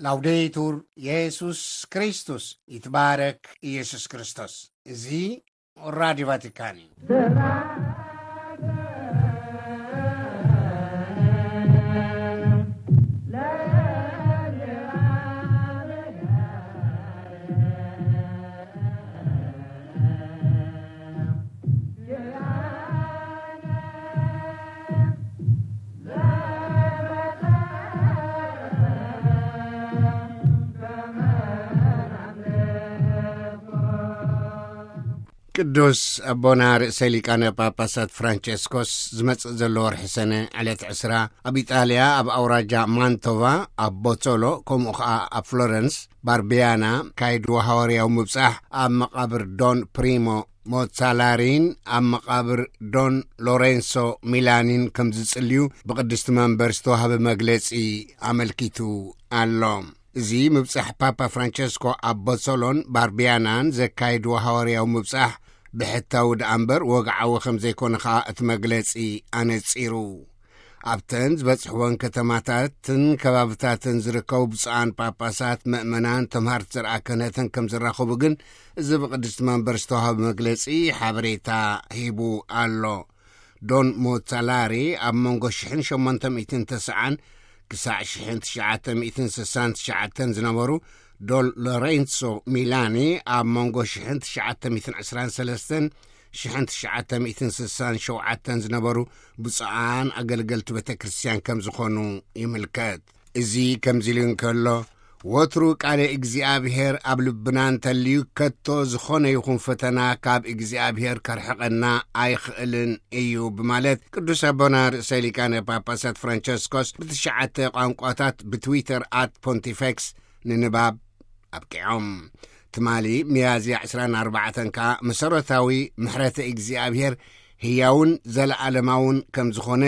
ላውዴቱር የሱስ ክርስቶስ፣ ይትባረክ ኢየሱስ ክርስቶስ። እዚ ራዲዮ ቫቲካን እዩ። ቅዱስ ኣቦና ርእሰ ሊቃነ ጳጳሳት ፍራንቸስኮስ ዝመጽእ ዘሎ ወርሒ ሰነ ዕለት ዕስራ ኣብ ኢጣልያ ኣብ ኣውራጃ ማንቶቫ ኣብ ቦቶሎ ከምኡ ኸኣ ኣብ ፍሎረንስ ባርቢያና ካይድዎ ሃዋርያዊ ምብጻሕ ኣብ መቓብር ዶን ፕሪሞ ሞትሳላሪን ኣብ መቓብር ዶን ሎሬንሶ ሚላኒን ከም ዝጽልዩ ብቅድስቲ መንበር ዝተዋህበ መግለጺ ኣመልኪቱ ኣሎ። እዚ ምብጻሕ ፓፓ ፍራንቸስኮ ኣብ ቦሶሎን ባርቢያናን ዘካይድዎ ሃዋርያዊ ምብጻሕ ብሕታዊ ደኣ እምበር ወግዓዊ ከም ዘይኮነ ኸኣ እቲ መግለጺ ኣነጺሩ። ኣብተን ዝበጽሕወን ከተማታትን ከባብታትን ዝርከቡ ብፁዓን ጳጳሳት፣ ምእመናን፣ ተምሃርቲ ዘርኣ ክህነትን ከም ዝራኸቡ ግን እዚ ብቅድስቲ መንበር ዝተዋህበ መግለጺ ሓበሬታ ሂቡ ኣሎ። ዶን ሞትሳላሪ ኣብ መንጎ ሽሕን ሸሞንተ ሚእትን ተስዓን ክሳዕ ሽሕን ትሽዓተ ሚእትን ስሳን ትሽዓተን ዝነበሩ፣ ዶን ሎሬንሶ ሚላኒ ኣብ መንጎ ሽሕን ትሽዓተ ሚእትን ዕስራን ሰለስተን ሽሕን ትሽዓተ ሚእትን ስሳን ሸውዓተን ዝነበሩ ብፁዓን ኣገልገልቲ ቤተ ክርስቲያን ከም ዝኾኑ ይምልከት። እዚ ከምዚ ኢሉ እንከሎ፣ ወትሩ ቃለ እግዚኣብሔር ኣብ ልብና እንተልዩ፣ ከቶ ዝኾነ ይኹን ፈተና ካብ እግዚኣብሔር ከርሕቐና ኣይኽእልን እዩ ብማለት ቅዱስ ኣቦና ርእሰ ሊቃነ ጳጳሳት ፍራንቸስኮስ ብትሽዓተ ቋንቋታት ብትዊተር ኣት ፖንቲፌክስ ንንባብ ኣብቂዖም። ትማሊ ሚያዝያ ዕስራን ኣርባዕተን ከኣ መሰረታዊ ምሕረተ እግዚኣብሔር ህያውን ዘለዓለማውን ከም ዝኾነ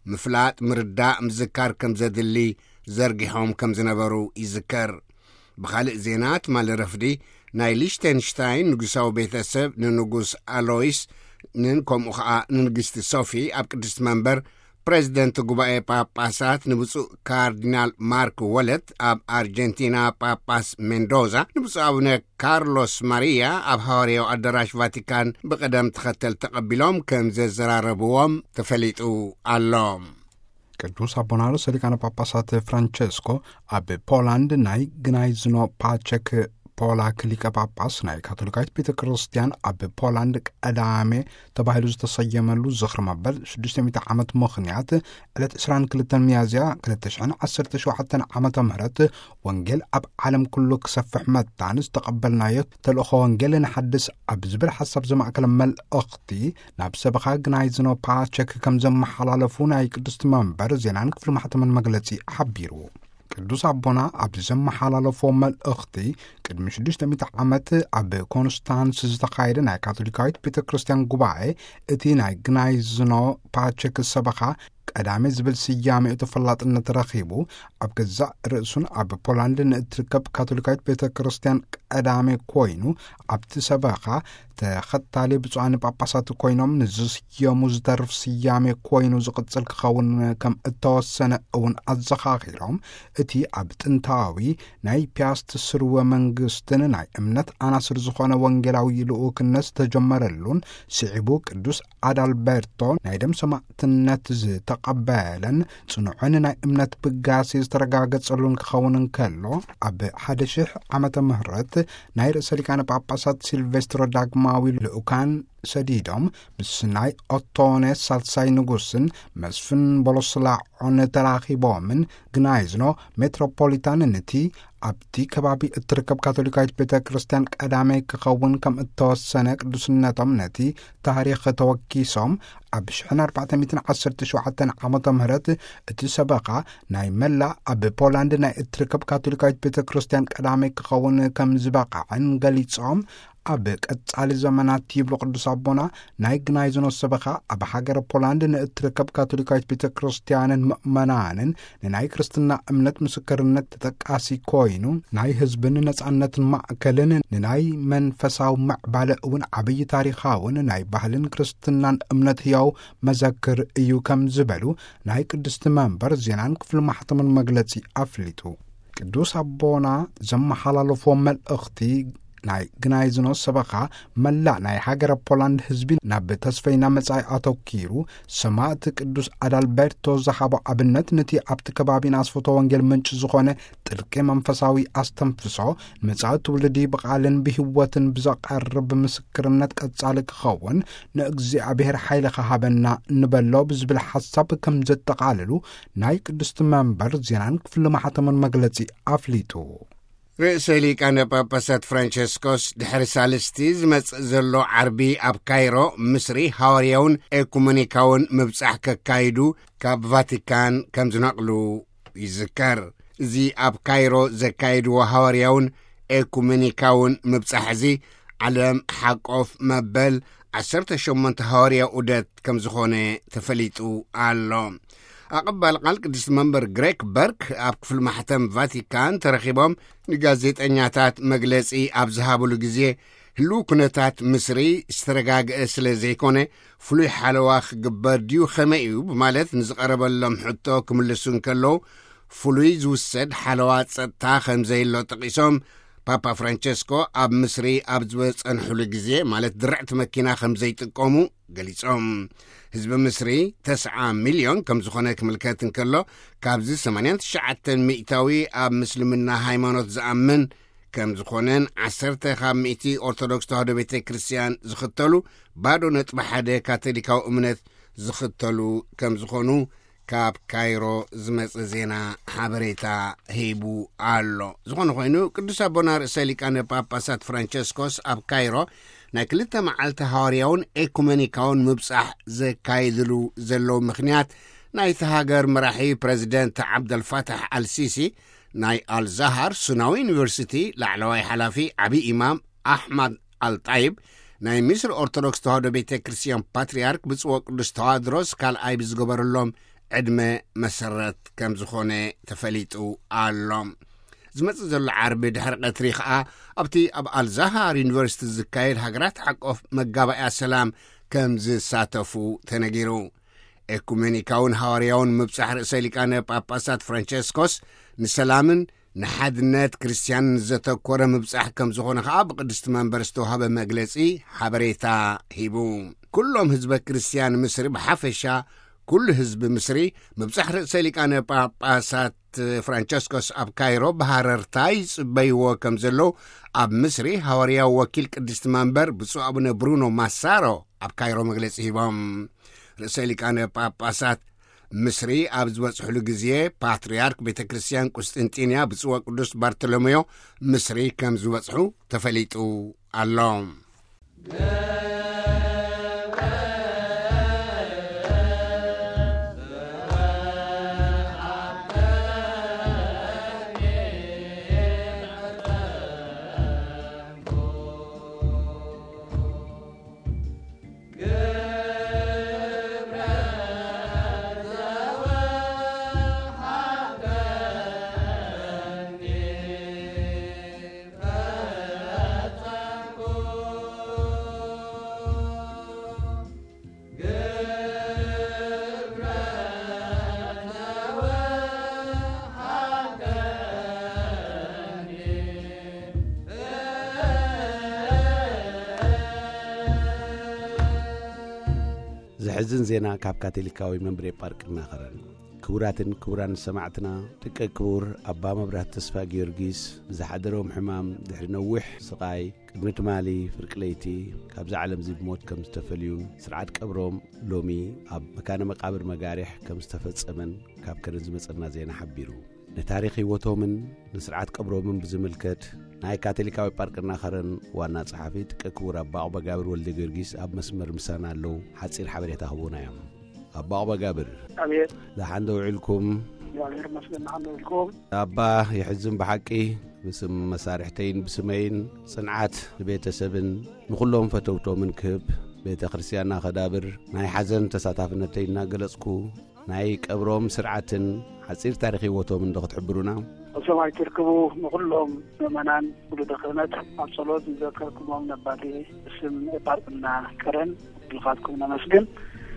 ምፍላጥ፣ ምርዳእ፣ ምዝካር ከም ዘድሊ ዘርጊሖም ከም ዝነበሩ ይዝከር። ብኻልእ ዜና፣ ትማሊ ረፍዲ ናይ ሊሽተንሽታይን ንጉሳዊ ቤተሰብ ንንጉስ ኣሎይስ ንን ከምኡ ኸኣ ንንግስቲ ሶፊ ኣብ ቅድስቲ መንበር፣ ፕሬዚደንት ጉባኤ ጳጳሳት ንብፁዕ ካርዲናል ማርክ ወለት ኣብ ኣርጀንቲና፣ ጳጳስ ሜንዶዛ ንብፁዕ ኣቡነ ካርሎስ ማሪያ ኣብ ሃዋርያዊ ኣዳራሽ ቫቲካን ብቐደም ተኸተል ተቐቢሎም ከም ዘዘራረብዎም ተፈሊጡ ኣሎ። ቅዱስ ኣቦና ርእሰ ሊቃነ ጳጳሳት ፍራንቸስኮ ኣብ ፖላንድ ናይ ግናይዝኖ ፓቸክ ፖላክ ሊቀ ጳጳስ ናይ ካቶሊካዊት ቤተ ክርስቲያን ኣብ ፖላንድ ቀዳሜ ተባሂሉ ዝተሰየመሉ ዝኽሪ መበል ሽዱሽተ ሚእቲ ዓመት ምኽንያት ዕለት ዕስራን ክልተን ሚያዝያ ክልተ ሽሕን ዓሰርተ ሸውዓተን ዓመተ ምህረት ወንጌል ኣብ ዓለም ኩሉ ክሰፍሕ መታን ዝተቐበልናዮ ተልእኾ ወንጌል ንሓድስ ኣብ ዝብል ሓሳብ ዘማእከለ መልእኽቲ ናብ ሰበኻ ግናይዝኖ ፓቸክ ከም ዘመሓላለፉ ናይ ቅድስቲ መንበር ዜናን ክፍሊ ማሕተምን መግለጺ ሓቢሩ። ቅዱስ ኣቦና ኣብዚ ዘመሓላለፎ መልእኽቲ፣ ቅድሚ ሽዱሽተ ሚእቲ ዓመት ኣብ ኮንስታንስ ዝተኻየደ ናይ ካቶሊካዊት ቤተ ክርስቲያን ጉባኤ፣ እቲ ናይ ግናይዝኖ ፓቸክ ሰበኻ ቀዳሜ ዝብል ስያሜኡ ተፈላጥነት ረኺቡ፣ ኣብ ገዛእ ርእሱን ኣብ ፖላንድ ንእትርከብ ካቶሊካዊት ቤተ ክርስቲያን ቀዳሜ ኮይኑ፣ ኣብቲ ሰበኻ ተኸታሊ ብፁዓን ጳጳሳት ኮይኖም ንዝስየሙ ዝተርፍ ስያሜ ኮይኑ ዝቕጽል ክኸውን ከም እተወሰነ እውን ኣዘኻኺሮም፣ እቲ ኣብ ጥንታዊ ናይ ፒያስት ስርወ መንግስትን ናይ እምነት ኣናስር ዝኾነ ወንጌላዊ ልኡክነት ዝተጀመረሉን ስዒቡ ቅዱስ ኣዳልበርቶ ናይ ደም ሰማዕትነት ዝተቐበለን ጽኑዕን ናይ እምነት ብጋሴ ዝተረጋገጸሉን ክኸውን እንከሎ፣ ኣብ ሓደ ሽሕ ዓመተ ምህረት ናይ ርእሰ ሊቃነ ጳጳሳት ሲልቬስትሮ ዳግማዊ ልኡካን ሰዲዶም ምስ ናይ ኦቶኔ ሳልሳይ ንጉስን መስፍን ቦሎስላዖን ተራኺቦምን፣ ግናይዝኖ ሜትሮፖሊታን ነቲ ኣብቲ ከባቢ እትርከብ ካቶሊካዊት ቤተ ክርስቲያን ቀዳማይ ክኸውን ከም እተወሰነ ቅዱስነቶም ነቲ ታሪኽ ተወኪሶም፣ ኣብ ሽሕን ኣርባዕተ ሚእትን ዓሰርተ ሸውዓተን ዓመተ ምህረት እቲ ሰበኻ ናይ መላእ ኣብ ፖላንድ ናይ እትርከብ ካቶሊካዊት ቤተ ክርስቲያን ቀዳማይ ክኸውን ከም ዝበቕዐን ገሊጾም፣ ኣብ ቀጻሊ ዘመናት ይብሉ ቅዱስ ኣቦና፣ ናይ ግናይዝኖ ሰበኻ ኣብ ሃገረ ፖላንድ ንእትርከብ ካቶሊካዊት ቤተ ክርስቲያንን ምእመናንን ንናይ ክርስትና እምነት ምስክርነት ተጠቃሲ ኮይኑ፣ ናይ ህዝብን ነጻነትን ማእከልን ንናይ መንፈሳዊ ምዕባለ እውን ዓብዪ ታሪኻውን ናይ ባህልን ክርስትናን እምነት ህያው መዘክር እዩ ከም ዝበሉ ናይ ቅድስቲ መንበር ዜናን ክፍሊ ማሕተምን መግለጺ ኣፍሊጡ። ቅዱስ ኣቦና ዘመሓላለፎ መልእኽቲ ናይ ግናይዝኖ ሰበኻ መላእ ናይ ሃገረ ፖላንድ ህዝቢ ናብ ተስፈይና መጻኢ ኣተኪሩ፣ ሰማዕቲ ቅዱስ ኣዳልበርቶ ዝሃቦ ኣብነት፣ ነቲ ኣብቲ ከባቢ ንኣስፍቶ ወንጌል ምንጪ ዝኾነ ጥልቂ መንፈሳዊ ኣስተንፍሶ፣ ንመጻኢ ትውልዲ ብቓልን ብህይወትን ብዘቐርብ ምስክርነት ቀጻሊ ክኸውን ንእግዚኣብሔር ሓይሊ ክሃበና ንበሎ ብዝብል ሓሳብ ከም ዘጠቓልሉ ናይ ቅድስቲ መንበር ዜናን ክፍሊ ማሕተምን መግለጺ ኣፍሊጡ። ርእሰ ሊቃነ ጳጳሳት ፍራንቸስኮስ ድሕሪ ሳልስቲ ዝመጽእ ዘሎ ዓርቢ ኣብ ካይሮ፣ ምስሪ፣ ሃዋርያውን ኤኩመኒካውን ምብጻሕ ከካይዱ ካብ ቫቲካን ከም ዝነቕሉ ይዝከር። እዚ ኣብ ካይሮ ዘካየድዎ ሃዋርያውን ኤኩመኒካውን ምብጻሕ እዚ፣ ዓለም ሓቆፍ መበል ዓሰርተ ሸሞንተ ሃዋርያ ዑደት ከም ዝኾነ ተፈሊጡ ኣሎ። ኣቐባል ቃል ቅድስቲ መንበር ግሬክ በርክ ኣብ ክፍሊ ማሕተም ቫቲካን ተረኺቦም ንጋዜጠኛታት መግለጺ ኣብ ዝሃብሉ ግዜ፣ ህልው ኩነታት ምስሪ ዝተረጋግአ ስለ ዘይኮነ፣ ፍሉይ ሓለዋ ክግበር ድዩ ከመይ እዩ ብማለት ንዝቐረበሎም ሕቶ ክምልሱ እንከለዉ፣ ፍሉይ ዝውሰድ ሓለዋ ጸጥታ ከም ዘየሎ ጠቒሶም፣ ፓፓ ፍራንቸስኮ ኣብ ምስሪ ኣብ ዝበጸንሑሉ ግዜ፣ ማለት ድርዕቲ መኪና ከም ዘይጥቀሙ ገሊጾም። ህዝቢ ምስሪ ተስዓ ሚልዮን ከም ዝኾነ ክምልከት እንከሎ፣ ካብዚ ሰማንያን ትሽዓተን ሚእታዊ ኣብ ምስልምና ሃይማኖት ዝኣምን ከም ዝኾነን፣ ዓሰርተ ካብ ሚእቲ ኦርቶዶክስ ተዋህዶ ቤተ ክርስቲያን ዝኽተሉ፣ ባዶ ነጥቢ ሓደ ካቶሊካዊ እምነት ዝኽተሉ ከም ዝኾኑ ካብ ካይሮ ዝመጽእ ዜና ሓበሬታ ሂቡ ኣሎ። ዝኾነ ኮይኑ፣ ቅዱስ ኣቦና ርእሰ ሊቃነ ጳጳሳት ፍራንቸስኮስ ኣብ ካይሮ ናይ ክልተ መዓልቲ ሃዋርያውን ኤኩመኒካውን ምብጻሕ ዘካይድሉ ዘለዉ ምኽንያት፣ ናይቲ ሃገር መራሒ ፕረዚደንት ዓብደልፋታሕ ኣልሲሲ፣ ናይ ኣልዛሃር ሱናዊ ዩኒቨርሲቲ ላዕለዋይ ሓላፊ ዓቢ ኢማም ኣሕማድ ኣልጣይብ፣ ናይ ሚስር ኦርቶዶክስ ተዋህዶ ቤተ ክርስቲያን ፓትርያርክ ብፁዕ ወቅዱስ ተዋድሮስ ካልኣይ ብዝገበረሎም ዕድመ መሰረት ከም ዝኾነ ተፈሊጡ ኣሎ። ዝመጽእ ዘሎ ዓርቢ ድሕሪ ቀትሪ ኸኣ፣ ኣብቲ ኣብ ኣልዛሃር ዩኒቨርሲቲ ዝካየድ ሃገራት ሓቆፍ መጋባእያ ሰላም ከም ዝሳተፉ ተነጊሩ። ኤኩሜኒካውን ሃዋርያውን ምብጻሕ ርእሰ ሊቃነ ጳጳሳት ፍራንቸስኮስ ንሰላምን ንሓድነት ክርስትያን ዘተኮረ ምብጻሕ ከም ዝኾነ ኸኣ ብቅድስቲ መንበር ዝተዋህበ መግለጺ ሓበሬታ ሂቡ። ኩሎም ህዝበ ክርስትያን ምስሪ ብሓፈሻ፣ ኩሉ ህዝቢ ምስሪ፣ ምብጻሕ ርእሰ ሊቃነ ጳጳሳት ፍራንቸስኮስ ኣብ ካይሮ ብሃረርታ ይጽበይዎ ከም ዘለዉ፣ ኣብ ምስሪ ሃዋርያዊ ወኪል ቅድስቲ መንበር ብፁዕ ኣቡነ ብሩኖ ማሳሮ ኣብ ካይሮ መግለጺ ሂቦም። ርእሰ ሊቃነ ጳጳሳት ምስሪ ኣብ ዝበጽሕሉ ግዜ፣ ፓትርያርክ ቤተ ክርስቲያን ቁስጥንጢንያ ብፁዕ ወቅዱስ ባርቶሎሜዮ ምስሪ ከም ዝበጽሑ ተፈሊጡ ኣሎ። ዘሕዝን ዜና ካብ ካቶሊካዊ መንበረ ጳጳስ ከረን። ክቡራትን ክቡራን ሰማዕትና፣ ደቂ ክቡር ኣባ መብራህቱ ተስፋ ጊዮርጊስ ብዝሓደሮም ሕማም ድሕሪ ነዊሕ ስቓይ፣ ቅድሚ ትማሊ ፍርቂ ለይቲ ካብዛ ዓለም እዚ ብሞት ከም ዝተፈልዩን፣ ስርዓት ቀብሮም ሎሚ ኣብ መካነ መቃብር መጋርሕ ከም ዝተፈጸመን ካብ ከረን ዝመጸና ዜና ሓቢሩ። ንታሪኽ ህይወቶምን ንስርዓት ቀብሮምን ብዝምልከት፣ ናይ ካቶሊካዊ ጳርቅና ከረን ዋና ጸሓፊ ደቂ ክቡር ኣባ ዑበጋብር ወልደ ጊዮርጊስ ኣብ መስመር ምሳና ኣለዉ። ሓጺር ሓበሬታ ክህቡና እዮም። ኣባ ዑበጋብር፣ ኣቤት። ደሓን ዶ ውዒልኩም? እግዚኣብሔር ይመስገን፣ ደሓን ዶ ውዒልኩም? ኣባ፣ የሕዝን ብሓቂ። ብስም መሳርሕተይን ብስመይን ጽንዓት ንቤተሰብን ንኹሎም ፈተውቶምን ክህብ፣ ቤተ ክርስቲያንና ከዳብር ናይ ሓዘን ተሳታፍነተይ እናገለጽኩ፣ ናይ ቀብሮም ስርዓትን ሓጺር ታሪኽ ህይወቶምን ዶ ክትሕብሩና? ኣብ ሰማይ ትርክቡ ንኹሎም ምእመናን ውሉደ ክህነት ኣብ ጸሎት ንዘከርኩሞም ነባቴ ብስም ኤጳርቅና ከረን ልኻትኩም ነመስግን።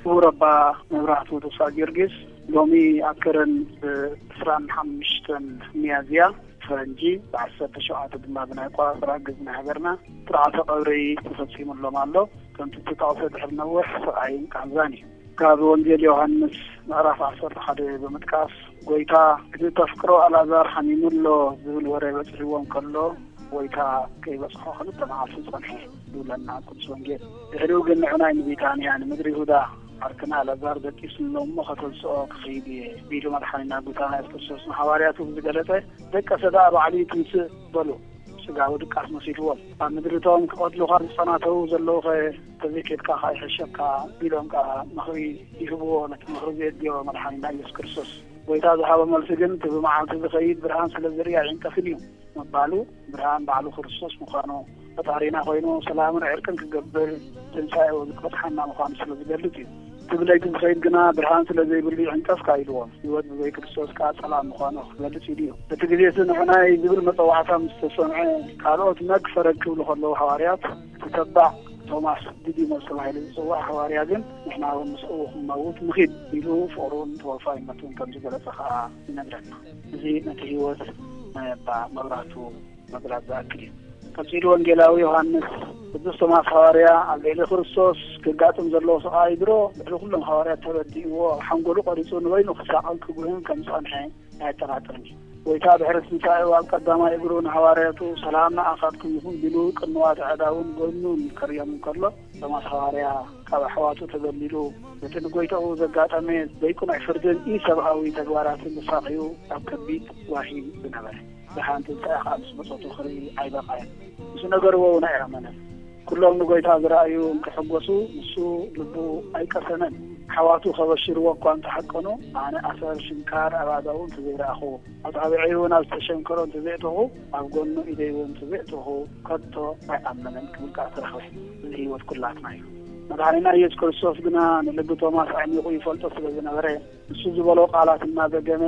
ክቡር ኣባ መብራህቱ ተስፋ ጊዮርጊስ ሎሚ ኣብ ከረን ብ ዕስራን ሓሙሽተን ሚያዝያ ፈረንጂ፣ ብዓሰርተ ሸውዓተ ድማ ብናይ ኣቆጻጽራ ግዝና ሃገርና ስርዓተ ቀብሪ ተፈጺሙሎም ኣሎ። ከምቲ ዝተጠቕሰ ድሕሪ ነዊሕ ስቓይን ቃንዛን እዩ። ካብ ወንጌል ዮሃንስ ምዕራፍ ዓሰርተ ሓደ ብምጥቃስ፣ "ጎይታ፣ እቲ ተፍቅሮ ኣልኣዛር ሓሚሙ ኣሎ" ዝብል ወረ በጺሕዎም ከሎ፣ "ጎይታ ከይበጽሖ ክልተ መዓልቲ ጸንሐ" ይብለና ቅዱስ ወንጌል። ድሕሪኡ ግን ንዑናይ ንቢታንያ፣ ንምድሪ ይሁዳ፣ "ዓርክና ኣልኣዛር ደቂሱ ኣሎ እሞ ከተንስኦ ክኸይድ እየ" ቢሉ መድሓኒና ጎይታና የሱስ ክርስቶስ ንሃዋርያቱ ብዝገለጸ፣ "ደቀሰ ደኣ ባዕሉ ይትንስእ" በሉ። ስጋዊ ድቃስ መሲልዎም፣ "ኣብ ምድሪ እቶም ክቐትሉኻ ዝጸናተዉ ዘለዉኸ ተዘይኬድካ ከኣ ይሕሸካ" ቢሎም ከኣ ምኽሪ ይህብዎ። ነቲ ምኽሪ ዘየድልዮ መድሓኒና ኢየሱስ ክርስቶስ ጎይታ ዝሃቦ መልሲ ግን፣ "እቲ ብመዓልቲ ዝኸይድ ብርሃን ስለ ዝርኢ ኣይዕንቀፍን እዩ" ምባሉ፣ ብርሃን ባዕሉ ክርስቶስ ምዃኑ፣ ፈጣሪና ኮይኑ ሰላምን ዕርቅን ክገብር ትንሳኤኡ ዝበጽሓና ምዃኑ ስለ ዝገልጽ እዩ። "እቲ ብለይቲ ዝኸይድ ግና ብርሃን ስለ ዘይብሉ ይዕንቀፍ" ከኣ ኢልዎም። ህይወት ብዘይ ክርስቶስ ከኣ ጸላም ምዃኑ ክገልጽ ኢሉ እዩ። እቲ ግዜ እቲ ንዑናይ ዝብል መጸዋዕታ ምስ ተሰምዐ፣ ካልኦት መግፈረግ ክብሉ ከለዉ፣ ሃዋርያት፣ እቲ ተባዕ ቶማስ ዲዲሞስ ተባሂሉ ዝጽዋዕ ሃዋርያ ግን፣ "ንሕና እውን ምስኡ ክንመውት ንኺድ" ኢሉ ፍቕሩን ተወፋይነቱን ከም ዝገለጸ ከኣ ይነግረና። እዚ ነቲ ህይወት ናይ ኣባ መብራህቱ መግላጽ ዝኣክል እዩ። ቀጺሉ ወንጌላዊ ዮሃንስ፣ "ቅዱስ ቶማስ ሃዋርያ ኣብ ልዕሊ ክርስቶስ ክጋጥም ዘለዎ ስቓይ ድሮ ልዕሊ ኩሎም ሃዋርያት ተረዲእዎ፣ ኣብ ሓንጎሉ ቀሪጹ ንበይኑ ክሳቐን ክጉህን ከም ዝጸንሐ ኣየጠራጥርን እዩ። ጎይታ ድሕሪ ትንሳኤኡ ኣብ ቀዳማይ እግሩ ንሃዋርያቱ 'ሰላም ንኣኻትኩም ይኹን' ቢሉ ቅንዋት ኣእዳውን ጎኑን ከርእዮም እንከሎ፣ ቶማስ ሃዋርያ ካብ ኣሕዋቱ ተገሊሉ፣ ነቲ ንጎይታኡ ዘጋጠመ ዘይቅኑዕ ፍርድን ኢሰብኣዊ ተግባራትን ተሳቕዩ ኣብ ከቢድ ጓሂ ዝነበረ፣ ብርሃን ትንሳኤ ኸኣ ምስ መጸቱ ክርኢ ኣይበቕዐን። ምስ ነገርዎ እውን ኣይኣመነን። ኩሎም ንጎይታ ዝረኣዩ እንክሕጎሱ፣ ንሱ ልቡ ኣይቀሰነን። ኣሕዋቱ ከበሽርዎ እኳ እንተሓቀኑ፣ ኣነ ኣሰር ሽንካር ኣብ ኣእዳዉ እንተዘይረኣኹ፣ ኣጻብዐይ እውን ኣብ ዝተሸንከሮ እንተዘይእተኹ፣ ኣብ ጎኑ ኢደይ እውን እንተዘይእተኹ፣ ከቶ ኣይኣምንን ክብል ከኣ ተረኽበ። እዚ ህይወት ኩላትና እዩ። መድሓኒና ኢየሱስ ክርስቶስ ግና ንልቢ ቶማስ ኣዕሚቑ ይፈልጦ ስለ ዝነበረ፣ ንሱ ዝበሎ ቃላት እናደገመ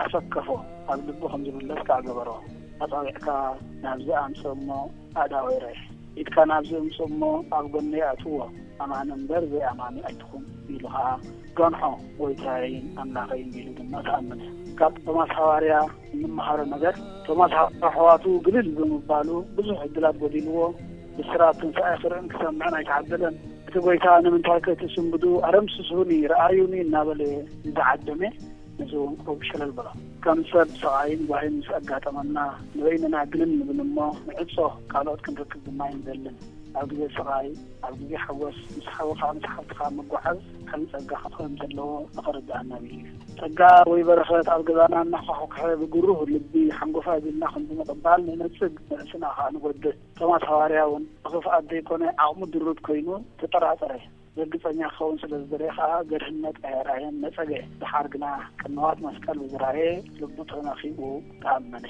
ኣሰከፎ። ኣብ ልቡ ከም ዝምለስ ከኣ ገበሮ። ኣጻብዕካ ናብዚ ኣምጽእ እሞ ኣእዳወይ ርኣይ። ኢድካ ናብዚ እምጽእ እሞ ኣብ ጎነይ ኣእትዎ። ኣማኒ እምበር ዘይኣማኒ ኣይትኹን ኢሉ ኸኣ ገንሖ። ጎይታይን ኣምላኸይን ኢሉ ድማ ተኣመነ። ካብ ቶማስ ሃዋርያ እንመሃሮ ነገር፣ ቶማስ ኣሕዋቱ ግልል ብምባሉ ብዙሕ ዕድላት ጎዲልዎ። ብስራት ትንሳኤ ክርእን ክሰምዕን ኣይተዓደለን። እቲ ጎይታ ንምንታይ ከይትስንብዱ ኣረምስሱኒ፣ ረኣዩኒ እናበለ ዝዓደመ፣ ነዚ እውን ቁሩብ ሸለል በሎ። ከም ሰብ ስቓይን ጓሂን ምስ ኣጋጠመና ንበይንና ግልል ንብል እሞ ንዕጾ፣ ካልኦት ክንረክብ ድማ ኣይንደልን። ኣብ ግዜ ስቓይ፣ ኣብ ግዜ ሓጎስ፣ ምስ ሓውኻ ምስ ሓብትኻ ምጉዓዝ ዓቢ ጸጋ ክኾን ዘለዎ ንኽርድኣና ኣቢሉ እዩ። ጸጋ ወይ በረኸት ኣብ ገዛና እናኳሕኩሐ ብግሩህ ልቢ ሓንጎፋይ ቢልና ከም ብምቕባል ንነጽግ፣ ንርእስና ኸኣ ንጎድእ። ቶማስ ሃዋርያ እውን ብኽፍኣት ዘይኮነ ዓቕሙ ድሩት ኮይኑ ተጠራጠረ። ዘግጸኛ ክኸውን ስለ ዝደለየ ኸኣ ገርህነት ኣየርኣየን፣ ነጸገ። ደሓር ግና ቅንዋት መስቀል ብዝረኣየ ልቡ ተነኺኡ ተኣመነ።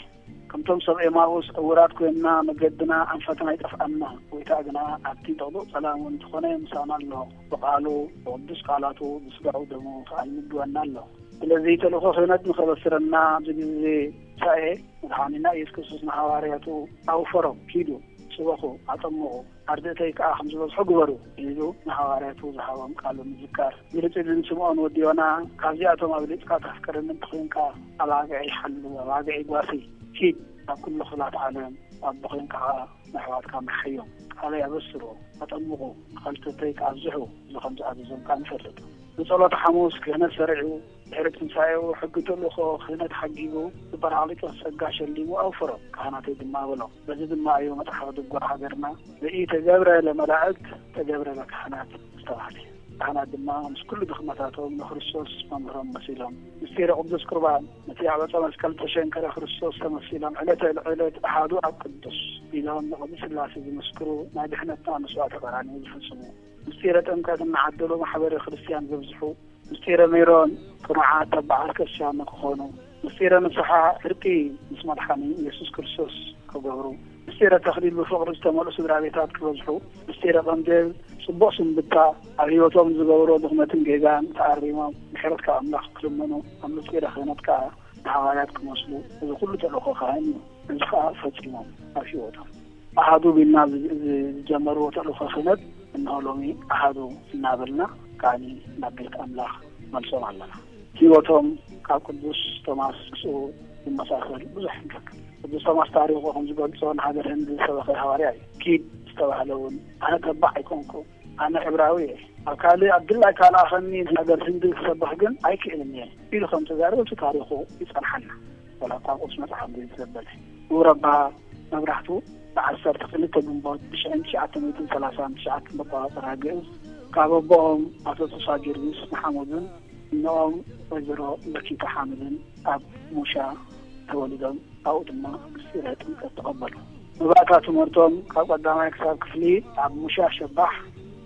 ከምቶም ሰብ ኤማኡስ ዕውራት ኮይንና መገድና ኣንፈትና ይጠፍኣና፣ ጎይታ ግና ኣብቲ ጥቕጡቕ ጸላም እውን እንተኾነ ምሳና ኣሎ። ብቓሉ፣ ብቅዱስ ቃላቱ፣ ብስጋኡ ደሙ ኸኣ ይምግበና ኣሎ። ስለዚ ተልእኾ ክህነት ንኸበስረና ኣብዚ ግዜ ትንሳኤ መድሓኒና ኢየሱስ ክርስቶስ ንሃዋርያቱ ኣውፈሮም፣ ኪዱ፣ ስበኹ፣ ኣጠምቑ፣ ኣርድእተይ ከኣ ከም ዝበዝሑ ግበሩ ኢሉ ንሃዋርያቱ ዝሃቦም ቃሉ ምዝካር። ግልጽ ኢሉ ንስምዖን ወዲ ዮና፣ ካብዚኣቶም ኣብሊጽካ ተፍቅረኒ እንተኾይንካ፣ ኣባግዐይ ሓሉ፣ ኣባግዐይ ጓስይ፣ ኪድ፣ ኣብ ኩሉ ክፍላት ዓለም ኣቦ ኮይንካ ኸኣ ንኣሕዋትካ ምርሓዮም። ቃለይ ኣበስሩ፣ ኣጠምቑ፣ ኣኻልቶተይ ከኣ ኣብዝሑ ኢሉ ከም ዝኣዘዞም ከኣ ንፈልጥ። ብጸሎተ ሓሙስ ክህነት ሰሪዑ፣ ድሕሪ ትንሳኤኡ ሕጊ ተልእኾ ክህነት ሓጊጉ፣ ብጳራቅሊጦስ ጸጋ ሸሊሙ ኣውፈሮም፣ ካህናተይ ድማ በሎም። በዚ ድማ እዩ መጽሓፍ ድጓ ሃገርና "ዘኢተገብረ ለመላእክት ተገብረ ለካህናት" ዝተባህለ። ካህናት ድማ ምስ ኩሉ ድኽመታቶም ንክርስቶስ መምህሮም መሲሎም፣ ምስጢረ ቅዱስ ቁርባን፣ ነቲ ኣብ ዕፀ መስቀል ዝተሸንከረ ክርስቶስ ተመሲሎም፣ ዕለተ ዕለት ኣሃዱ ኣብ ቅዱስ ኢሎም ንቅድስት ሥላሴ ዝምስክሩ ናይ ድሕነትና መስዋዕተ ቀራንዮ ዝፍጽሙ፣ ምስጢረ ጥምቀት እናዓደሉ ማሕበረ ክርስቲያን ዘብዝሑ፣ ምስጢረ ሜሮን ቅኑዓት ተባዓት ክርስቲያን ንክኾኑ፣ ምስጢረ ንስሓ ዕርቂ ምስ መድሓኒ ኢየሱስ ክርስቶስ ክገብሩ፣ ምስጢረ ተኽሊል ብፍቕሪ ዝተመልኡ ስድራ ቤታት ክበዝሑ፣ ምስጢረ ቀንዴል ጽቡቕ ስንብታ ኣብ ህይወቶም ዝገበሮ ድኽመትን ጌጋን ተኣሪሞም ምሕረት ካብ ኣምላኽ ክልምኑ፣ ኣብ ምስጢረ ክህነት ከኣ ንሃዋርያት ክመስሉ፣ እዚ ኩሉ ተልእኾ ካህን እዩ። እዚ ከኣ ፈጺሞም ኣብ ህይወቶም። ኣሃዱ ቢልና ዝ-፣ ዝ-፣ ዝጀመርዎ ተልእኾ ክህነት፣ እንሆ ሎሚ ኣሃዱ እናበልና ከኣኒ ናብ ቤት ኣምላኽ መልሶም ኣለና። ህይወቶም ካብ ቅዱስ ቶማስ ምስኡ ይመሳሰል ብዙሕ ንረክብ። ቅዱስ ቶማስ ታሪኹ ከም ዝገልጾ ንሃገር ህንዲ ዝሰበኸ ሃዋርያ እዩ። ኪድ ዝተባህለ እውን ኣነ ተባዕ ኣይኮንኩ፣ ኣነ ዕብራዊ እየ። ኣብ ካልእ ኣብ ድላይ ካልኣኸኒ ሃገር ህንዲ ክሰብኽ ግን ኣይክእልን እየ ኢሉ ከም ተዛረበ እቲ ታሪኹ ይጸንሓና። ወላ እኳ ቅዱስ መጽሓፍ ዘይተዘበለ። ክቡር ኣባ መብራህቱ ብዓሰርተ ክልተ ግንቦት ብሽሕን ትሽዓተ ሚእትን ሰላሳን ትሽዓተን ኣቆጻጽራ ግእዝ ካብ ኣቦኦም ኣቶ ተስፋ ጊዮርጊስ ንሓሙዝን እኖኦም ወይዘሮ መኪታ ሓምልን ኣብ ሙሻ ተወሊዶም ኣብኡ ድማ ምስጢረ ጥምቀት ተቐበሉ። መባእታ ትምህርቶም ካብ ቀዳማይ ክሳብ ክፍሊ ኣብ ሙሻ ሸባሕ፣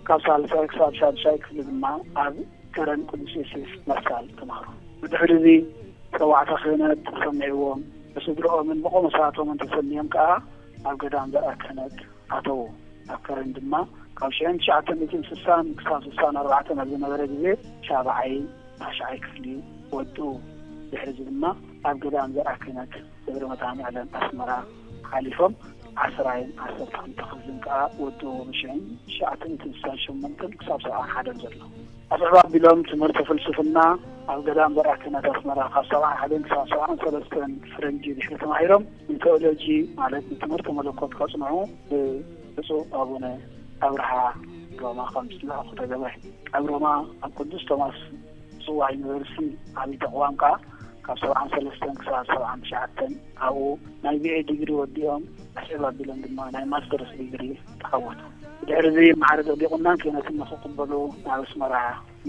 ካብ ሳልሳይ ክሳብ ሻድሻይ ክፍሊ ድማ ኣብ ከረን ቅዱስ ዮሴፍ መስቃል ተማህሩ። ብድሕሪ እዚ ጸዋዕታ ክህነት ተሰሚዕዎም ብስድርኦምን ብቆሞሳቶምን ተሰንዮም ከኣ ኣብ ገዳም ዘርኣ ክህነት ኣተዉ። ኣብ ከረን ድማ ካብ ሽሕን ትሽዓተ ሚእትን ስሳን ክሳብ ስሳን ኣርባዕተን ኣብ ዝነበረ ግዜ ሻብዓይ ታሽዓይ ክፍሊ ወድኡ። ድሕሪ እዚ ድማ ኣብ ገዳም ዘርኣ ክህነት ደብረ መድኃኔዓለም ኣስመራ ሓሊፎም ዓስራይን ዓሰርተ ክልተ ክፍልን ከኣ ወድኡ። ብሽሕን ትሽዓተ ሚእትን ስሳን ሸሞንተን ክሳብ ሰብዓን ሓደን ዘሎ ኣስዕብ ኣቢሎም ትምህርቲ ፍልስፍና ኣብ ገዳም ዘርኣ ክህነት ኣስመራ ካብ ሰብዓን ሓደን ክሳብ ሰብዓን ሰለስተን ፈረንጂ ድሕሪ ተማሂሮም ንቴኦሎጂ ማለት ንትምህርቲ መለኮት ከጽንዑ ብብፁዕ ኣቡነ ኣብርሃ ሮማ ከም ዝለኣኹ ተገብረ። ኣብ ሮማ ኣብ ቅዱስ ቶማስ ጽዋ ዩኒቨርሲቲ ዓብዪ ተቕዋም ከኣ ካብ ሰብዓን ሰለስተን ክሳብ ሰብዓን ትሽዓተን ኣብኡ ናይ ቢኤ ዲግሪ ወዲኦም ኣስዕብ ኣቢሎም ድማ ናይ ማስተርስ ዲግሪ ተዓወቱ። ብድሕሪ እዚ ማዕረገ ዲቁናን ክህነትን ንኽቕበሉ ናብ ኣስመራ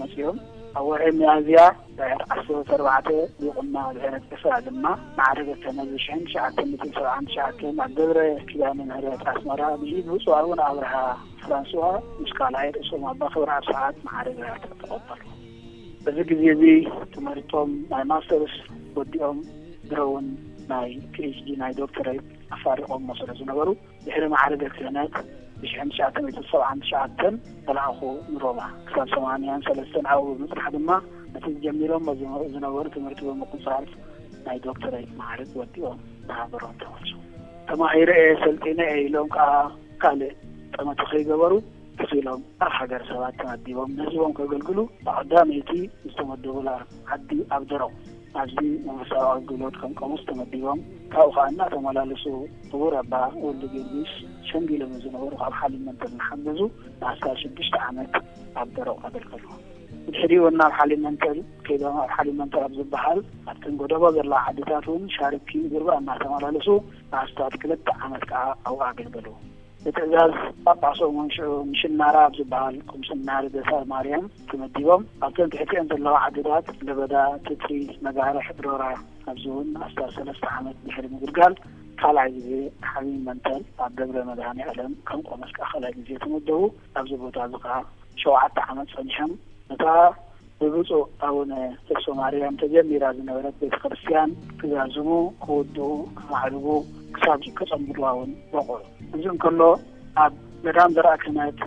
መጺኦም። ኣብ ወርሒ ሚያዝያ ድሕሪ ዓሰርተ ኣርባዕተ ዲቁና ድሕሪ ዕስራ ድማ ማዕረገ ክህነት ብሽሕን ትሽዓተ ሚእትን ሰብዓን ትሽዓተን ኣብ ደብረ ኪዳነ ምህረት ኣስመራ ብኢድ ብፁዕ ኣቡነ ኣብርሃ ፍራንስዋ ምስ ካልኣይ ርእሶም ኣባ ክብረኣብ ሰዓት ማዕረገ ተቐበሉ። በዚ ግዜ እዚ ትምህርቶም ናይ ማስተርስ ወዲኦም ድሮ እውን ናይ ፒኤችዲ ናይ ዶክተሬት ኣፋሪቖሞ ስለ ዝነበሩ ድሕሪ ማዕረገ ክህነት ብሽሕን ትሽዓተ ሚእትን ሰብዓን ትሽዓተን ተላእኹ ንሮማ። ክሳብ ሰማንያን ሰለስተን ኣብኡ ብምጽናሕ ድማ ነቲ ጀሚሮሞ ዝነበሩ ትምህርቲ ብምቁጻር ናይ ዶክተሬት ማዕርግ ወዲኦም ንሃገሮም ተመልሱ። ተማሂረ እየ ሰልጢነ እየ ኢሎም ከኣ ካልእ ጠመተ ከይገበሩ ተኺሎም ኣብ ሃገረ ሰባት ተመዲቦም ንህዝቦም ከገልግሉ ብቐዳመይቲ ዝተመደቡላ ዓዲ ኣብ ደረቕ ኣብዚ መንፈሳዊ ኣገልግሎት ከም ቆሞስ ተመዲቦም ካብኡ ከኣ እናተመላለሱ ክቡር ኣባ ወልደ ጊዮርጊስ ሸምጊሎም ዝነበሩ ካብ ሓሊብ መንተል እናሓገዙ ንኣስታት ሽዱሽተ ዓመት ኣብ ደረቕ ኣገልገሉ። ብድሕሪኡ ናብ ሓሊብ መንተል ከይዶም ኣብ ሓሊብ መንተል ኣብ ዝበሃል ኣብተን ጎደቦ ዘለዋ ዓድታት እውን ሻርኪ ጉርባ እናተመላለሱ ንኣስታት ክልተ ዓመት ከኣ ኣብኡ ኣገልገሉ። ብትእዛዝ ጳጳሶም እውን ሽዑ ምሽናራ ኣብ ዝበሃል ቁምስና ልደታ ማርያም ተመዲቦም ኣብተን ትሕቲአን ዘለዋ ዓድታት ለበዳ፣ ትትሪ፣ መጋርሕ፣ ሮራ ኣብዚ እውን ኣስታት ሰለስተ ዓመት ድሕሪ ምግልጋል ካልኣይ ግዜ ሓሊብ መንተል ኣብ ደብረ መድኃኔ ዓለም ከም ቆሞስ ከኣ ካልኣይ ግዜ ተመደቡ። ኣብዚ ቦታ እዚ ከኣ ሸውዓተ ዓመት ጸኒሖም ነታ ብብፁዕ ኣቡነ ተስፋ ማርያም ተጀሚራ ዝነበረት ቤተ ክርስቲያን ክዛዝሙ፣ ክውድኡ፣ ከማዕርጉ ክሳብ ከጸንብልዋ እውን በቑዑ። እዚ እንከሎ ኣብ ገዳም ዘርኣ ክህነት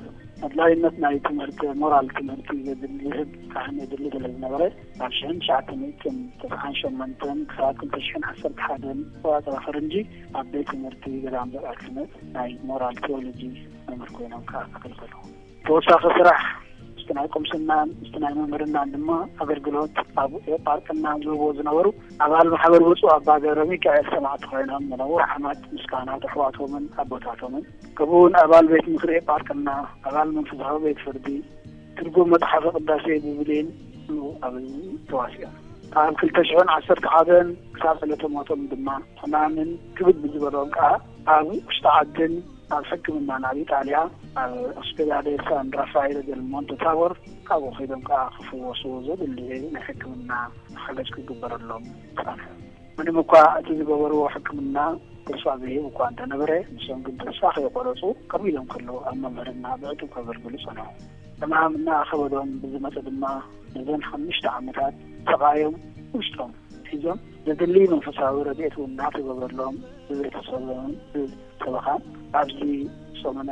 ኣድላይነት ናይ ትምህርቲ ሞራል ትምህርቲ ዘድሊ ዝህብ ካህን የድሊ ስለ ዝነበረ ኣብ ሽሕን ትሽዓተ ሚእትን ተስዓን ሸሞንተን ክሳብ ክልተ ሽሕን ዓሰርተ ሓደን ኣቆጻጽራ ፈረንጂ ኣብ ቤት ትምህርቲ ገዳም ዘርኣ ክህነት ናይ ሞራል ቴዎሎጂ መምህር ኮይኖም ከኣ ኣገልገሉ። ተወሳኺ ስራሕ ምስቲ ናይ ቁምስናን ምስቲ ናይ መምህርናን ድማ ኣገልግሎት ኣብ ኤጳርቅና ዝህብዎ ዝነበሩ ኣባል ማሕበር ብፁዕ ኣባ ገብረ ሚካኤል ሰማዕቲ ኮይኖም ንነዊሕ ዓመት ምስ ካህናት ኣሕዋቶምን ኣቦታቶምን ከምኡ እውን ኣባል ቤት ምኽሪ ኤጳርቅና ኣባል መንፈሳዊ ቤት ፍርዲ ትርጉም መጽሓፈ ቅዳሴ ብብሌን ኣብ ተዋሲኦም ካብ ክልተ ሽሕን ዓሰርተ ሓደን ክሳብ ዕለተ ሞቶም ድማ ሕማምን ክብድ ብዝበሎም ከኣ ኣብ ውሽጢ ዓድን ኣብ ሕክምናን ኣብ ኢጣልያ ኣብ ኦስፔዳሌ ሳን ራፋኤል ደል ሞንተ ታቦር ካብኡ ከይዶም ከኣ ክፍወሱ ዘድሊ ናይ ሕክምና ሓገዝ ክግበረሎም ጸንሑ። ምንም እኳ እቲ ዝገበርዎ ሕክምና ተስፋ ዘይህብ እኳ እንተነበረ ንሶም ግን ተስፋ ከይቆረጹ ከምኡ ኢሎም ከለዉ ኣብ መምህርና ብዕቱብ ከገልግሉ ጸንሑ። ሕማም እናኣኸበዶም ብዝመጸ ድማ ነዘን ሓሙሽተ ዓመታት ስቓዮም ውሽጦም ሒዞም ዘድሊ መንፈሳዊ ረድኤት እውን እናተገበረሎም ብቤተሰቦምን ብሰበኻን ኣብዚ ሰሙነ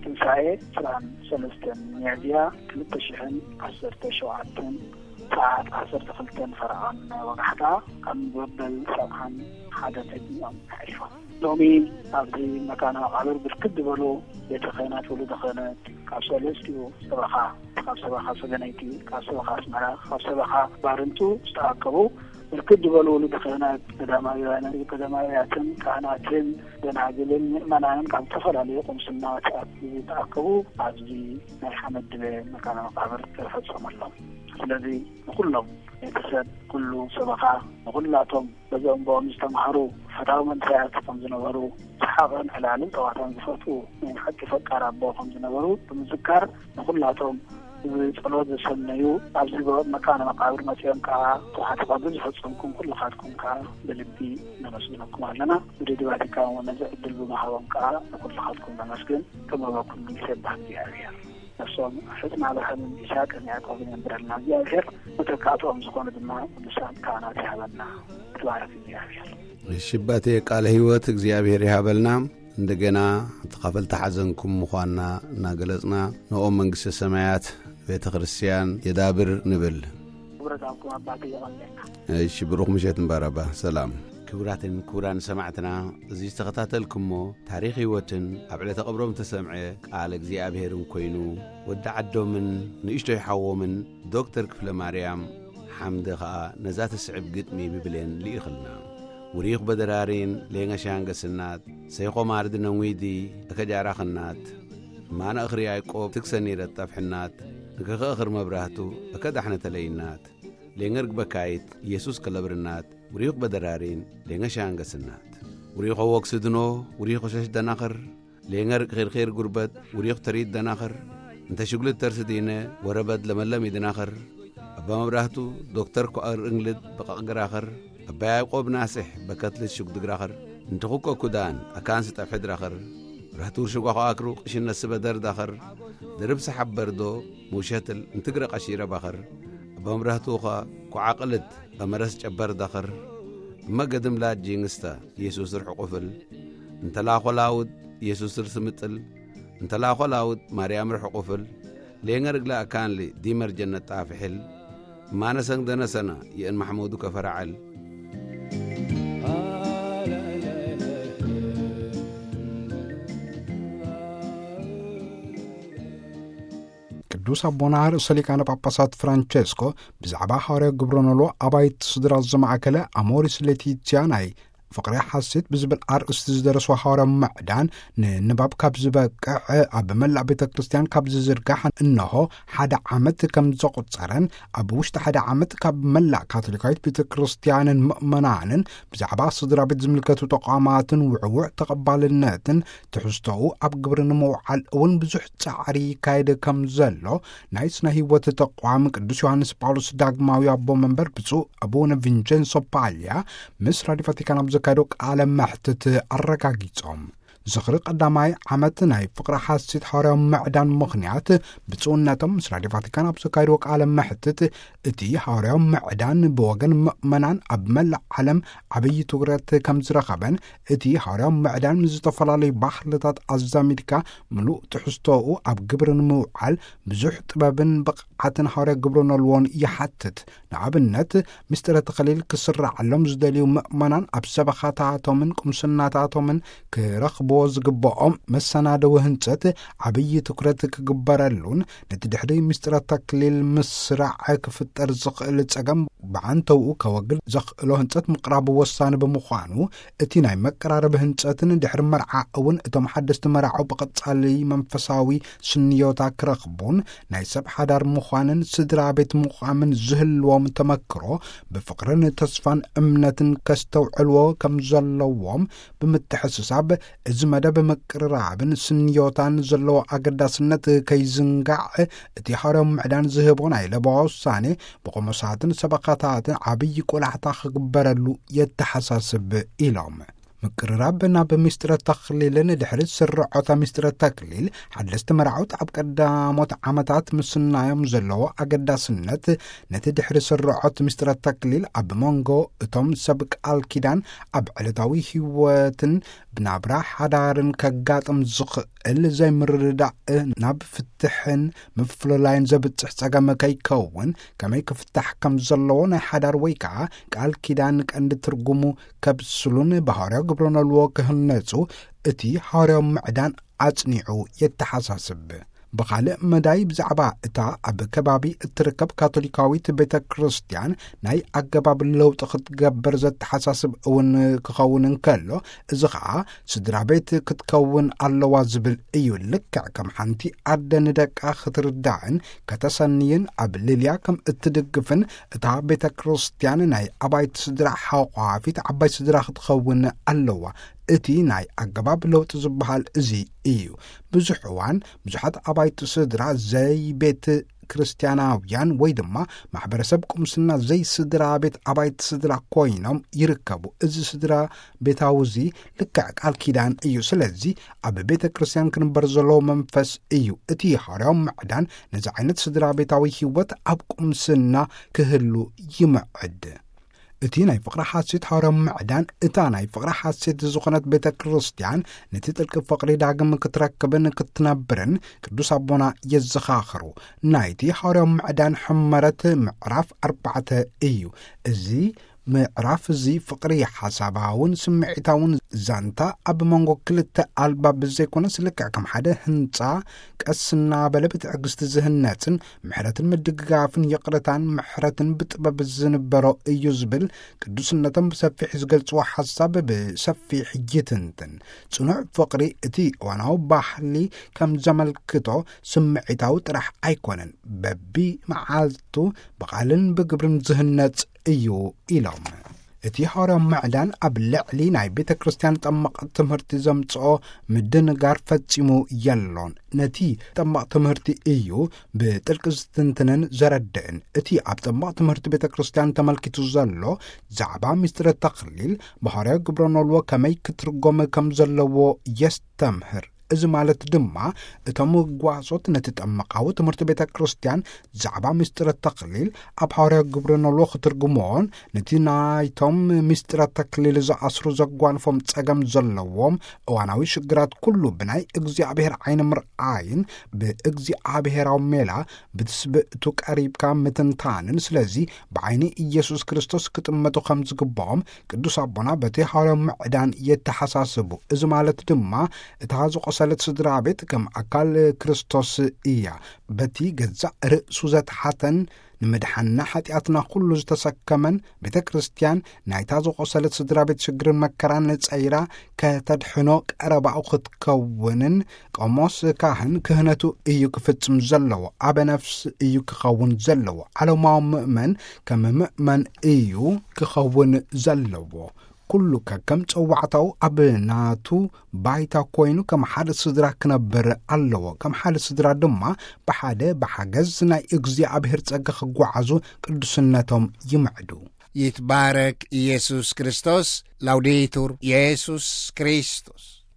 ትንሳኤ ዕስራን ሰለስተን ሚያዝያ ክልተ ሽሕን ዓሰርተ ሸውዓተን ሰዓት ዓሰርተ ክልተን ፈረቓን ናይ ወጋሕታ ኣብ መበል ሰብዓን ሓደን ዕድሚኦም ኣሕሊፎም። ሎሚ ኣብዚ መካነ መቓብር ብርክት ዝበሉ ቤተ ክህነት፣ ወሉደ ክህነት፣ ካብ ሰለስቲኡ ሰበኻ፣ ካብ ሰበኻ ሰገነይቲ፣ ካብ ሰበኻ ኣስመራ፣ ካብ ሰበኻ ባርንቱ ዝተኣከቡ ብርክት ዝበሉ ውሉድ ካህናት፣ ቀዳማውያን፣ ቀዳማውያትን ካህናትን ደናግልን ምእመናንን ካብ ዝተፈላለዩ ቁምስናታት ዝተኣከቡ ኣብዚ ናይ ሓመድ ድበ መካነ መቃብር ተፈጸመሎም። ስለዚ ንኩሎም ቤተሰብ፣ ኩሉ ሰበኻ፣ ንኩላቶም በዞም ብኦም ዝተማህሩ ፈታዊ መንእሰያት ከም ዝነበሩ፣ ሰሓቕን ዕላልን ጸዋታን ዝፈትዉ ናይ ሓቂ ፈቃር ኣቦ ከም ዝነበሩ ብምዝካር፣ ንኩላቶም ብጸሎት ዘሰነዩ፣ ኣብዚ መካነ መቃብር መጺኦም ከኣ ስርዓተ ቀብሪ ዝፈጸምኩም ኩልኻትኩም ከኣ ብልቢ ነመስግነኩም ኣለና። ብድዲ ቫቲካን እውን ነዚ ዕድል ብምሃቦም ከኣ ንኩልኻትኩም ነመስግን። ጥበበ ኩሉ ይሰብሕ እግዚኣብሔር። ነፍሶም ሕጽና ኣብርሃምን ይስሐቅን ያዕቆብን የንብረልና እግዚኣብሔር። መተካእትኦም ዝኾኑ ድማ ቅዱሳን ካህናት ይሃበና። ተባረክ እግዚኣብሔር። ሽባቴ ቃለ ሕይወት እግዚኣብሔር ይሃበልና። እንደገና ተኻፈልቲ ሓዘንኩም ምዃንና እናገለጽና፣ ንኦም መንግስተ ሰማያት ቤተ ክርስቲያን የዳብር ንብል። ክብረት ኣብኩም ኣባቴ የቐንየልና። እሺ፣ ብሩኽ ምሸት እምበረባ። ሰላም። ክቡራትን ክቡራን ሰማዕትና፣ እዚ ዝተኸታተልኩሞ ታሪኽ ህይወትን ኣብ ዕለተ ቀብሮም ተሰምዐ ቃል እግዚኣብሔርን ኮይኑ፣ ወዲ ዓዶምን ንእሽቶይ ሓዎምን ዶክተር ክፍለ ማርያም ሓምደ ኸኣ ነዛ ትስዕብ ግጥሚ ብብሌን ልኢኽልና። ውሪኽ በደራሪን ሌንገ ሻንገስናት፣ ሰይኾ ማርድ ነንዊዲ እከጃራኽናት፣ ማነ እኽሪ ያዕቆብ ትክሰኒ ረጣፍሕናት፣ ንክኸእኽር መብራህቱ እከዳሕነ ተለይናት፣ ሌንገርግ በካይት ኢየሱስ ከለብርናት፣ ውሪኽ በደራሪን ሌንገ ሻንገስናት። ውሪኽ ወክስድኖ፣ ውሪኽ ሸሽ ደናኽር፣ ሌንገር ኺርኺር ጉርበት፣ ውሪኽ ተሪድ ደናኽር፣ እንተ ሽጉልት ተርስዲነ፣ ወረበድ ለመለም ይድናኽር፣ ኣባ መብራህቱ ዶክተር ኮኣር እንግልድ በቐቕ ግራኽር፣ ኣባ ያዕቆብ ናስሕ በከትልት ሽጉድ ግራኽር፣ እንተ ኹኮ ኩዳን ኣካን ስጠፍሕ ድራኽር፣ ብራህቱር ሽጓ ኸኣክሩ ቅሽነት ስበደር ዳኽር፣ ድርብ ሰሓብ በርዶ፣ ሙሸትል እንትግረ ቀሺረ ባኽር፣ ኣባ መብራህቱ ኸ ኮዓቕልት በመረስ ጨበር ዳኽር፣ እመ ገድም ላድ ጂንግስታ፣ ኢየሱስ ርሕቁፍል፣ እንተ ላኾ ላውድ፣ ኢየሱስ ርስምጥል፣ እንተ ላኾ ላውድ፣ ማርያም ርሕቁፍል፣ ሌንገር እግላ ኣካንሊ፣ ዲመር ጀነት ጣፍሕል፣ ማነሰንግ ደነሰና፣ ይእን ማሕሙዱ ከፈራዐል። ቅዱስ ኣቦና ርእሰ ሊቃነ ጳጳሳት ፍራንቸስኮ ብዛዕባ ሃዋርያዊ ግብረ ኖልዎ ኣባይቲ ስድራ ዘማእከለ ኣሞሪስ ሌቲትያ ናይ ፍቕሪ ሓሴት ብዝብል ኣርእስቲ ዝደረስዎ ሃዋርያዊ ምዕዳን ንንባብ ካብ ዝበቅዕ ኣብ መላእ ቤተ ክርስቲያን ካብ ዝዝርጋሕ እንሆ ሓደ ዓመት ከም ዘቑጸረን ኣብ ውሽጢ ሓደ ዓመት ካብ መላእ ካቶሊካዊት ቤተ ክርስቲያንን ምእመናንን ብዛዕባ ስድራ ቤት ዝምልከቱ ተቋማትን ውዕውዕ ተቐባልነትን ትሕዝቶኡ ኣብ ግብሪ ንምውዓል እውን ብዙሕ ጻዕሪ ይካየድ ከም ዘሎ ናይ ስነ ህይወት ተቋም ቅዱስ ዮሃንስ ጳውሎስ ዳግማዊ ኣቦ መንበር ብፁዕ ኣቡነ ቪንቸንሶ ፓልያ ምስ ራድዮ ቫቲካን ኣብ ዘካየዶ ቃለ መሕትት ኣረጋጊጾም። ዝኽሪ ቀዳማይ ዓመት ናይ ፍቕሪ ሓሴት ሃዋርያዊ ምዕዳን ምኽንያት ብፁዕነቶም ምስ ራድዮ ቫቲካን ኣብ ዘካየድዎ ቃለ መሕትት እቲ ሃዋርያዊ ምዕዳን ብወገን ምእመናን ኣብ መላእ ዓለም ዓብዪ ትኩረት ከም ዝረኸበን እቲ ሃዋርያዊ ምዕዳን ምስ ዝተፈላለዩ ባህልታት ኣዛሚድካ ምሉእ ትሕዝቶኡ ኣብ ግብሪ ንምውዓል ብዙሕ ጥበብን ብቕዓትን ሃዋርያ ግብረ ኖልዎን ይሓትት። ንኣብነት፣ ምስጢረ ተኸሊል ክስራዓሎም ዝደልዩ ምእመናን ኣብ ሰበኻታቶምን ቁምስናታቶምን ክረኽብዎ ዝግብኦም መሰናደዊ ህንጸት ዓብዪ ትኩረት ክግበረሉን ነቲ ድሕሪ ምስጢረ ተክሊል ምስራዕ ክፍጠር ዝኽእል ጸገም ብዓንተውኡ ከወግድ ዘኽእሎ ህንጸት ምቕራቡ ወሳኒ ብምዃኑ፣ እቲ ናይ መቀራረቢ ህንጸትን ድሕሪ መርዓ እውን እቶም ሓደስቲ መራዑ ብቐጻሊ መንፈሳዊ ስንዮታ ክረኽቡን ናይ ሰብ ሓዳር ምዃንን ስድራ ቤት ምዃምን ዝህልዎም ተመክሮ ብፍቕርን ተስፋን እምነትን ከስተውዕልዎ ከም ዘለዎም ብምትሕስሳብ፣ እዚ መደብ ምቅርራብን ስንዮታን ዘለዎ ኣገዳስነት ከይዝንጋዕ፣ እቲ ሃዋርያዊ ምዕዳን ዝህቦ ናይ ለበዋ ውሳኔ ብቆሞሳትን ሰበኻታትን ዓብዪ ቆላሕታ ክግበረሉ የተሓሳስብ ኢሎም። ምቅርራብ ናብ ምስጢረ ተኽሊልን ድሕሪ ስርዖታ ምስጢረ ተክሊል ሓደስቲ መርዓውቲ ኣብ ቀዳሞት ዓመታት ምስናዮም ዘለዎ ኣገዳስነት፣ ነቲ ድሕሪ ስርዖት ምስጢረ ተክሊል ኣብ መንጎ እቶም ሰብ ቃል ኪዳን ኣብ ዕለታዊ ህይወትን ብናብራ ሓዳርን ከጋጥም ዝኽእል ዘይምርድዳእ ናብ ፍትሕን ምፍልላይን ዘብጽሕ ጸገም ከይከውን ከመይ ክፍታሕ ከም ዘለዎ ናይ ሓዳር ወይ ከኣ ቃል ኪዳን ቀንዲ ትርጉሙ ከብስሉን ብሃዋርያዊ ግብረ ኖልዎ ክህነጹ እቲ ሃዋርያዊ ምዕዳን ኣጽኒዑ የተሓሳስብ። ብኻልእ መዳይ፣ ብዛዕባ እታ ኣብ ከባቢ እትርከብ ካቶሊካዊት ቤተ ክርስቲያን ናይ ኣገባብ ለውጢ ክትገብር ዘተሓሳስብ እውን ክኸውን እንከሎ፣ እዚ ኸኣ ስድራ ቤት ክትከውን ኣለዋ ዝብል እዩ። ልክዕ ከም ሓንቲ ኣደ ንደቃ ክትርዳእን ከተሰንይን ኣብ ልልያ ከም እትድግፍን እታ ቤተ ክርስቲያን ናይ ኣባይቲ ስድራ ሓቋፊት ዓባይ ስድራ ክትኸውን ኣለዋ። እቲ ናይ ኣገባብ ለውጢ ዝበሃል እዚ እዩ። ብዙሕ እዋን ብዙሓት ኣባይቲ ስድራ ዘይቤት ክርስቲያናውያን ወይ ድማ ማሕበረሰብ ቁምስና ዘይስድራ ቤት ኣባይቲ ስድራ ኮይኖም ይርከቡ። እዚ ስድራ ቤታዊ እዚ ልክዕ ቃል ኪዳን እዩ። ስለዚ ኣብ ቤተ ክርስቲያን ክንበር ዘለዎ መንፈስ እዩ። እቲ ሃዋርያዊ ምዕዳን ነዚ ዓይነት ስድራ ቤታዊ ህይወት ኣብ ቁምስና ክህሉ ይምዕድ። እቲ ናይ ፍቕሪ ሓሴት ሃዋርያዊ ምዕዳን፣ እታ ናይ ፍቕሪ ሓሴት ዝኾነት ቤተ ክርስቲያን ነቲ ጥልቂ ፍቕሪ ዳግም ክትረክብን ክትነብርን ቅዱስ ኣቦና የዘኻኽሩ። ናይቲ ሃዋርያዊ ምዕዳን ሕመረት ምዕራፍ ኣርባዕተ እዩ። እዚ ምዕራፍ እዚ ፍቕሪ ሓሳባውን ስምዒታውን ዛንታ ኣብ መንጎ ክልተ ኣልባብ ዘይኮነስ፣ ልክዕ ከም ሓደ ህንጻ ቀስ እናበለ ብትዕግስቲ ዝህነጽን ምሕረትን ምድግጋፍን ይቕረታን ምሕረትን ብጥበብ ዝንበሮ እዩ ዝብል ቅዱስነቶም ብሰፊሕ ዝገልጽዎ ሓሳብ ብሰፊሕ ይትንትን። ጽኑዕ ፍቕሪ እቲ እዋናዊ ባህሊ ከም ዘመልክቶ ስምዒታዊ ጥራሕ ኣይኮነን፣ በቢ መዓልቱ ብቓልን ብግብርን ዝህነጽ እዩ ኢሎም። እቲ ሃዋርያዊ ምዕዳን ኣብ ልዕሊ ናይ ቤተ ክርስቲያን ጠመቕ ትምህርቲ ዘምጽኦ ምድንጋር ፈጺሙ የሎን። ነቲ ጠመቕ ትምህርቲ እዩ ብጥልቂ ዝትንትንን ዘረድእን። እቲ ኣብ ጠመቕ ትምህርቲ ቤተ ክርስቲያን ተመልኪቱ ዘሎ ዛዕባ ምስጢረ ተኽሊል ብሃዋርያዊ ግብረ ኖልዎ ከመይ ክትርጎም ከም ዘለዎ የስተምህር። እዚ ማለት ድማ እቶም ጓሶት ነቲ ጠመቓዊ ትምህርቲ ቤተ ክርስቲያን ዛዕባ ምስጢረ ተኽሊል ኣብ ሃዋርያዊ ግብረ ኖልዎ ክትርጉምዎን ነቲ ናይቶም ምስጢረ ተክሊል ዝኣስሩ ዘጓንፎም ጸገም ዘለዎም እዋናዊ ሽግራት ኩሉ ብናይ እግዚኣብሔር ዓይኒ ምርኣይን ብእግዚኣብሔራዊ ሜላ ብትስብእቱ ቀሪብካ ምትንታንን፣ ስለዚ ብዓይኒ ኢየሱስ ክርስቶስ ክጥመቱ ከም ዝግብኦም ቅዱስ ኣቦና በቲ ሃዋርያዊ ምዕዳን የተሓሳስቡ። እዚ ማለት ድማ እታ ዝቆሰለት ስድራ ቤት ከም ኣካል ክርስቶስ እያ። በቲ ገዛእ ርእሱ ዘትሓተን ንምድሓንና ሓጢኣትና ኩሉ ዝተሰከመን ቤተ ክርስቲያን ናይታ ዝቆሰለት ስድራ ቤት ሽግርን መከራን ጸይራ ከተድሕኖ ቀረባኡ ክትከውንን ቆሞስ ካህን ክህነቱ እዩ ክፍጽም ዘለዎ። ኣበ ነፍስ እዩ ክኸውን ዘለዎ። ዓለማዊ ምእመን ከም ምእመን እዩ ክኸውን ዘለዎ። ኩሉ ከከም ጸዋዕታኡ ኣብ ናቱ ባይታ ኮይኑ ከም ሓደ ስድራ ክነብር ኣለዎ። ከም ሓደ ስድራ ድማ ብሓደ ብሓገዝ ናይ እግዚኣብሔር ጸጋ ክጓዓዙ ቅዱስነቶም ይምዕዱ። ይትባረክ ኢየሱስ ክርስቶስ። ላውዴቱር ኢየሱስ ክርስቶስ።